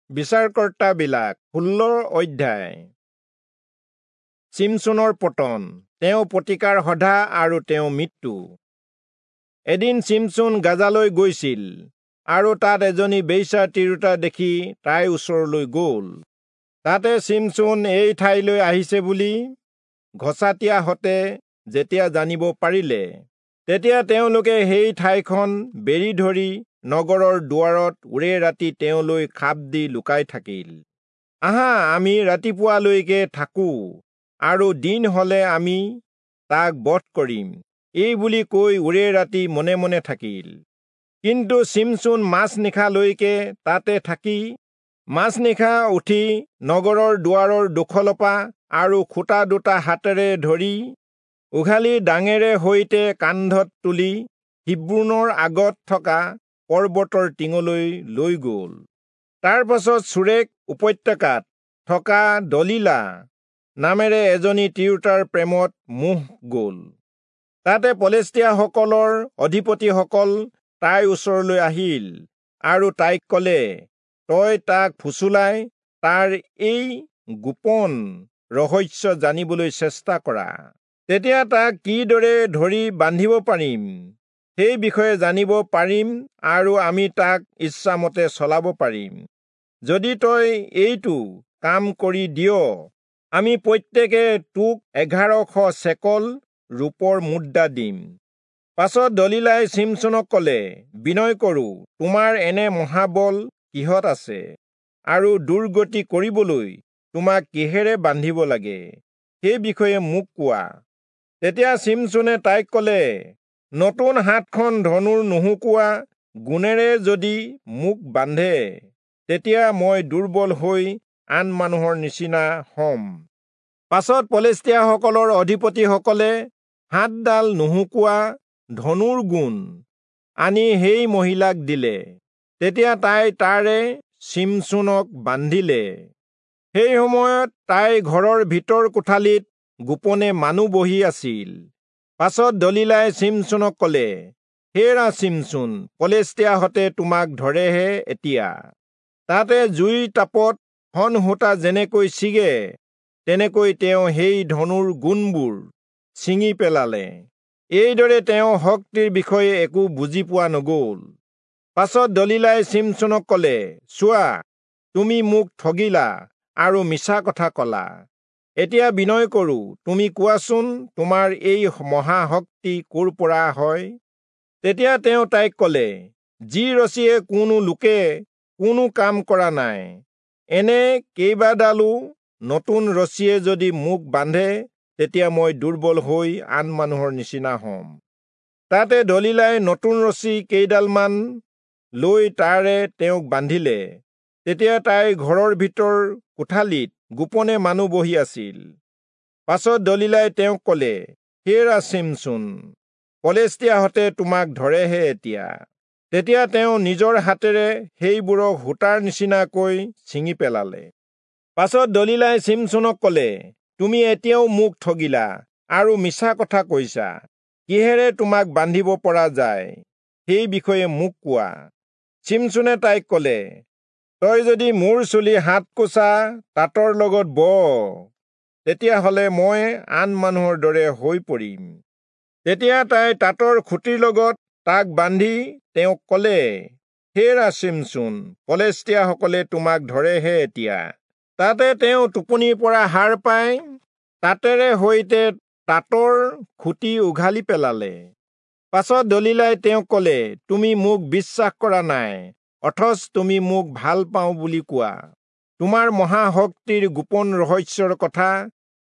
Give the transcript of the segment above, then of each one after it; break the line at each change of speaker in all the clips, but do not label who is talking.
বিচাৰকৰ্তাবিলাক 16 অধ্যায়। চিমচোনৰ পতন, তেওঁ প্ৰতিকাৰ সধা আৰু তেওঁ মৃত্যু। এদিন চিমচোন গাজালৈ গৈছিল আৰু তাত এজনী বেশ্যা তিৰোতা দেখি তাইৰ ওচৰলৈ গ'ল। তাতে চিমচোন এই ঠাইলৈ আহিছে বুলি ঘচাতীয়াহঁতে যেতিয়া জানিব পাৰিলে, তেতিয়া তেওঁলোকে সেই ঠাইখন বেৰি ধৰি নগৰৰ দুৱাৰত ওৰে ৰাতি তেওঁলৈ খাপ দি লুকাই থাকিল। আহা, আমি ৰাতিপুৱালৈকে থাকোঁ আৰু দিন হলে আমি তাক বধ কৰিম, এই বুলি কৈ ওৰে ৰাতি মনে মনে থাকিল। কিন্তু চিমচোন মাজনিশালৈকে তাতে থাকি মাজনিশা উঠি নগৰৰ দুৱাৰৰ দুখলপা আৰু খুঁটা দুটা হাতেৰে ধৰি উঘালি ডাঙেৰে সৈতে কান্ধত তুলি হিব্ৰোনৰ আগত থকা পৰ্বতৰ টিঙলৈ লৈ গ'ল। তাৰ পাছত চোৰেক উপত্যকাত থকা দলীলা নামেৰে এজনী তিৰোতাৰ প্ৰেমত মোহ গ'ল। তাতে পলেষ্টীয়াসকলৰ অধিপতিসকল তাইৰ ওচৰলৈ আহিল আৰু তাইক ক'লে, তই তাক ফুচুলাই তাৰ এই গোপন ৰহস্য জানিবলৈ চেষ্টা কৰা, তেতিয়া তাক কিদৰে ধৰি বান্ধিব পাৰিম সেই বিষয়ে জানিব পাৰিম আৰু আমি তাক ইচ্ছামতে চলাব পাৰিম। যদি তই এইটো কাম কৰি দিয়, আমি প্ৰত্যেকে তোক 1100 চেকল ৰূপৰ মুদ্ৰা দিম। পাছত দলীলাই চিমচোনক ক'লে, বিনয় কৰোঁ, তোমাৰ এনে মহাবল কিহত আছে আৰু দুৰ্গতি কৰিবলৈ তোমাক কিহেৰে বান্ধিব লাগে সেই বিষয়ে মোক কোৱা। তেতিয়া চিমচোনে তাইক ক'লে, নতুন 7খন ধনুৰ নুশুকোৱা গুণেৰে যদি মোক বান্ধে, তেতিয়া মই দুৰ্বল হৈ আন মানুহৰ নিচিনা হ'ম। পাছত পলেষ্টীয়াসকলৰ অধিপতিসকলে 7ডাল নুশুকোৱা ধনুৰ গুণ আনি সেই মহিলাক দিলে। তেতিয়া তাই তাৰে চিমচোনক বান্ধিলে। সেই সময়ত তাই ঘৰৰ ভিতৰ কোঠালিত গোপনে মানুহ বহি আছিল। পাছত দলীলাই চিমচোনক ক'লে, হেৰা চিমচোন, পলেষ্টীয়াহঁতে তোমাক ধৰেহে এতিয়া। তাতে জুইৰ তাপত শন সূতা যেনেকৈ ছিগে, তেনেকৈ তেওঁ সেই ধনুৰ গুণবোৰ ছিঙি পেলালে। এইদৰে তেওঁ শক্তিৰ বিষয়ে একো বুজি পোৱা নগ'ল। পাছত দলীলাই চিমচোনক ক'লে, চোৱা, তুমি মোক ঠগিলা আৰু মিছা কথা ক'লা। এতিয়া বিনয় কৰোঁ, তুমি কোৱাচোন, তোমাৰ এই মহাশক্তি ক'ৰ পৰা হয়? তেতিয়া তেওঁ তাইক ক'লে, যি ৰছীয়ে কোনো লোকে কোনো কাম কৰা নাই, এনে কেইবাডালো নতুন ৰছীয়ে যদি মোক বান্ধে, তেতিয়া মই দুৰ্বল হৈ আন মানুহৰ নিচিনা হ'ম। তাতে দলীলাই নতুন ৰছী কেইডালমান লৈ তাৰে তেওঁক বান্ধিলে। তেতিয়া তাইৰ ঘৰৰ ভিতৰ কোঠালিত গোপনে মানুহ বহি আছিল। পাছত দলীলাই তেওঁক ক'লে, হেৰা চিমচোন, পলেষ্টীয়াহঁতে তোমাক ধৰেহে এতিয়া। তেতিয়া তেওঁ নিজৰ হাতেৰে সেইবোৰক সূতাৰ নিচিনাকৈ ছিঙি পেলালে। পাছত দলীলাই চিমচোনক ক'লে, তুমি এতিয়াও মোক ঠগিলা আৰু মিছা কথা কৈছা। কিহেৰে তোমাক বান্ধিব পৰা যায় সেই বিষয়ে মোক কোৱা। চিমচোনে তাইক ক'লে, তই যদি মোৰ চুলি 7 কোচা তাঁতৰ লগত ব, তেতিয়াহ'লে মই আন মানুহৰ দৰে হৈ পৰিম। তেতিয়া তাই তাঁতৰ খুঁটিৰ লগত তাক বান্ধি তেওঁক ক'লে, হেৰা চিমচোন, পলেষ্টীয়াসকলে তোমাক ধৰেহে এতিয়া। তাতে তেওঁ টোপনিৰ পৰা সাৰ পাই তাঁতেৰে সৈতে তাঁতৰ খুঁটি উঘালি পেলালে। পাছত দলীলাই তেওঁক ক'লে, তুমি মোক বিশ্বাস কৰা নাই, অথচ তুমি মোক ভাল পাওঁ বুলি কোৱা। তোমাৰ মহাশক্তিৰ গোপন ৰহস্যৰ কথা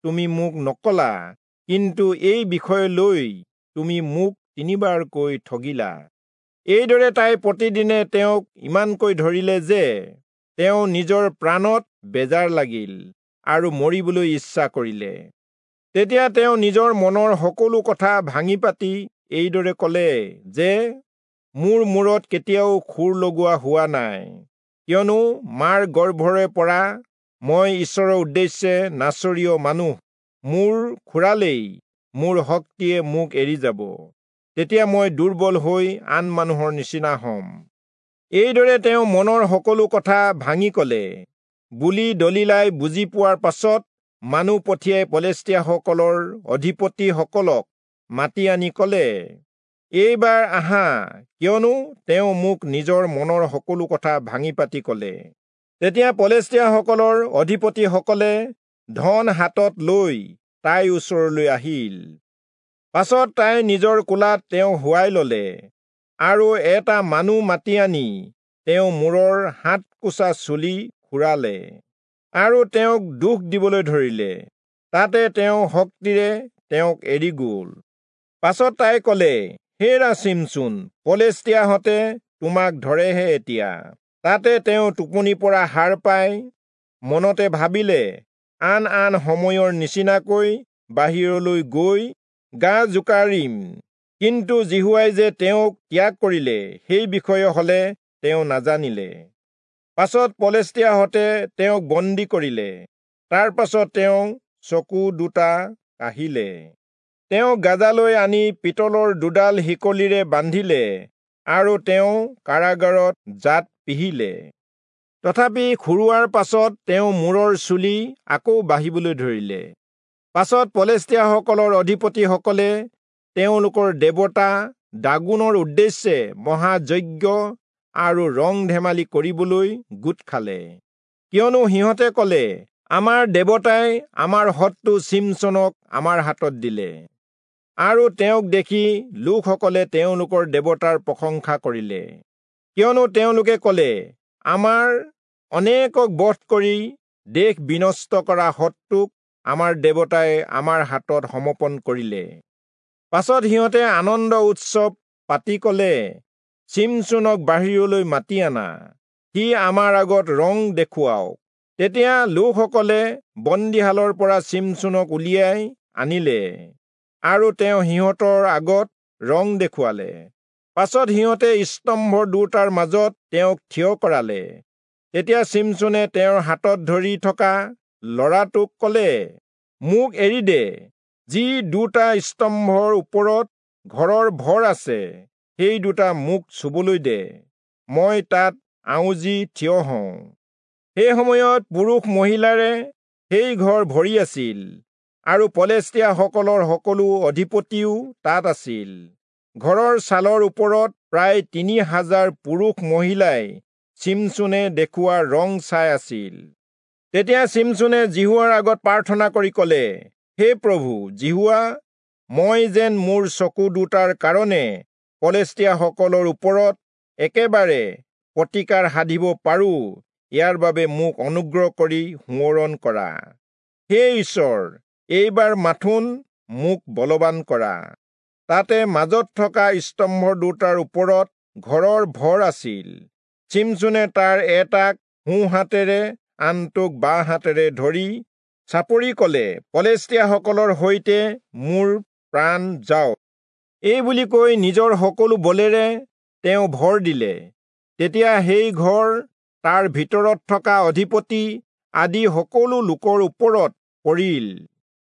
তুমি মোক নকলা, কিন্তু এই বিষয় লৈ তুমি মোক 3বাৰকৈ ঠগিলা। এইদৰে তাই প্ৰতিদিনে তেওঁক ইমানকৈ ধৰিলে যে তেওঁ নিজৰ প্ৰাণত বেজাৰ লাগিল আৰু মৰিবলৈ ইচ্ছা কৰিলে। তেতিয়া তেওঁ নিজৰ মনৰ সকলো কথা ভাঙি পাতি এইদৰে ক'লে যে, মোৰ মূৰত কেতিয়াও খুৰ লগোৱা হোৱা নাই, কিয়নো মাৰ গৰ্ভৰে পৰা মই ঈশ্বৰৰ উদ্দেশ্যে নাচৰীয় মানুহ। মোৰ খুৰালেই মোৰ শক্তিয়ে মোক এৰি যাব, তেতিয়া মই দুৰ্বল হৈ আন মানুহৰ নিচিনা হ'ম। এইদৰে তেওঁ মনৰ সকলো কথা ভাঙি কলে বুলি দলীলাই বুজি পোৱাৰ পাছত মানুহ পঠিয়াই পলেষ্টীয়াসকলৰ অধিপতিসকলক মাতি আনি কলে, এইবাৰ আহা, কিয়নো তেওঁ মোক নিজৰ মনৰ সকলো কথা ভাঙি পাতি কলে। তেতিয়া পলেষ্টীয়াসকলৰ অধিপতিসকলে ধন হাতত লৈ তাইৰ ওচৰলৈ আহিল। পাছত তাই নিজৰ কোলাত তেওঁ শুৱাই ললে আৰু এটা মানুহ মাতি আনি তেওঁ মূৰৰ 7 কোচা চুলি খুৰালে আৰু তেওঁক দুখ দিবলৈ ধৰিলে। তাতে তেওঁ শক্তিৰে তেওঁক এৰি গ'ল। পাছত তাই কলে, হেৰা চিমচোন, পলেষ্টীয়াহঁতে তোমাক ধৰেহে এতিয়া। তাতে তেওঁ টোপনিৰ পৰা সাৰ পাই মনতে ভাবিলে, আন আন সময়ৰ নিচিনাকৈ বাহিৰলৈ গৈ গা জোকাৰিম, কিন্তু যিহোৱাই যে তেওঁক ত্যাগ কৰিলে সেই বিষয়ে হলে তেওঁ নাজানিলে। পাছত পলেষ্টীয়াহঁতে তেওঁক বন্দী কৰিলে। তাৰ পাছত তেওঁ চকু দুটা কাঢ়িলে। তেওঁ গাজালৈ আনি পিতলৰ দুডাল শিকলিৰে বান্ধিলে আৰু তেওঁ কাৰাগাৰত জাত পিহিলে। তথাপি খুৰোৱাৰ পাছত তেওঁ মূৰৰ চুলি আকৌ বাঢ়িবলৈ ধৰিলে। পাছত পলেষ্টীয়াসকলৰ অধিপতিসকলে তেওঁলোকৰ দেৱতা দাগোনৰ উদ্দেশ্যে মহাযজ্ঞ আৰু ৰং ধেমালি কৰিবলৈ গোট খালে, কিয়নো সিহঁতে কলে, আমাৰ দেৱতাই আমাৰ শত্ৰু চিমচোনক আমাৰ হাতত দিলে। আৰু তেওঁক দেখি লোকসকলে তেওঁলোকৰ দেৱতাৰ প্ৰশংসা কৰিলে, কিয়নো তেওঁলোকে কলে, আমাৰ অনেকক বধ কৰি দেশ বিনষ্ট কৰা শত্ৰুক আমাৰ দেৱতাই আমাৰ হাতত সমৰ্পণ কৰিলে। পাছত সিহঁতে আনন্দ উৎসৱ পাতি কলে, চিমচোনক বাহিৰলৈ মাতি আনা, সি আমাৰ আগত ৰং দেখুৱাওক। তেতিয়া লোকসকলে বন্দীশালৰ পৰা চিমচোনক উলিয়াই আনিলে আৰু তেওঁ সিহঁতৰ আগত ৰং দেখুৱালে। পাছত সিহঁতে স্তম্ভ দুটাৰ মাজত তেওঁক থিয় কৰালে। তেতিয়া চিমচোনে তেওঁৰ হাতত ধৰি থকা ল'ৰাটোক কলে, মোক এৰি দে, যি দুটা স্তম্ভৰ ওপৰত ঘৰৰ ভৰ আছে সেই দুটা মোক চুবলৈ দে, মই তাত আউজি থিয় হওঁ। সেই সময়ত পুৰুষ মহিলাৰে সেই ঘৰ ভৰি আছিল আৰু পলেষ্টীয়াসকলৰ সকলো অধিপতিও তাত আছিল। ঘৰৰ ছালৰ ওপৰত প্ৰায় 3000 পুৰুষ মহিলাই চিমচোনে দেখুওৱা ৰং চাই আছিল। তেতিয়া চিমচোনে যিহোৱাৰ আগত প্ৰাৰ্থনা কৰি কলে, হে প্ৰভু যিহোৱা, মই যেন মোৰ চকু দুটাৰ কাৰণে পলেষ্টীয়াসকলৰ ওপৰত একেবাৰে প্ৰতিকাৰ সাধিব পাৰোঁ, ইয়াৰ বাবে মোক অনুগ্ৰহ কৰি সোঁৱৰণ কৰা। হে ঈশ্বৰ, এইবাৰ মাথোন মোক বলৱান কৰা। তাতে মাজত থকা স্তম্ভ দুটাৰ ওপৰত ঘৰৰ ভৰ আছিল। চিমচোনে তাৰ এটাক সোঁহাতেৰে আনটোক বাঁ হাতেৰে ধৰি চাপৰি কলে, পলেষ্টীয়াসকলৰ সৈতে মোৰ প্ৰাণ যাওক। এই বুলি কৈ নিজৰ সকলো বলেৰে তেওঁ ভৰ দিলে। তেতিয়া সেই ঘৰ, তাৰ ভিতৰত থকা অধিপতি আদি সকলো লোকৰ ওপৰত পৰিল।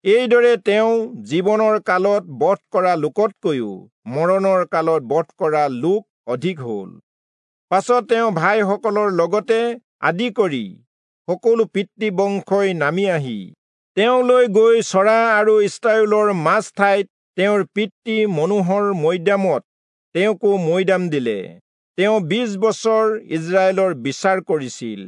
এইদৰে তেওঁ জীৱনৰ কালত বধ কৰা লোকতকৈও মৰণৰ কালত বধ কৰা লোক অধিক হল। পাছত তেওঁ ভাইসকলৰ লগতে আদি কৰি সকলো পিতৃবংশই নামি আহি তেওঁলৈ গৈ চৰা আৰু ইস্ৰায়েলৰ মাজ ঠাইত তেওঁৰ পিতৃ মনোহৰ মৈদামত তেওঁকো মৈদাম দিলে। তেওঁ 20 বছৰ ইস্ৰায়েলৰ বিচাৰ কৰিছিল।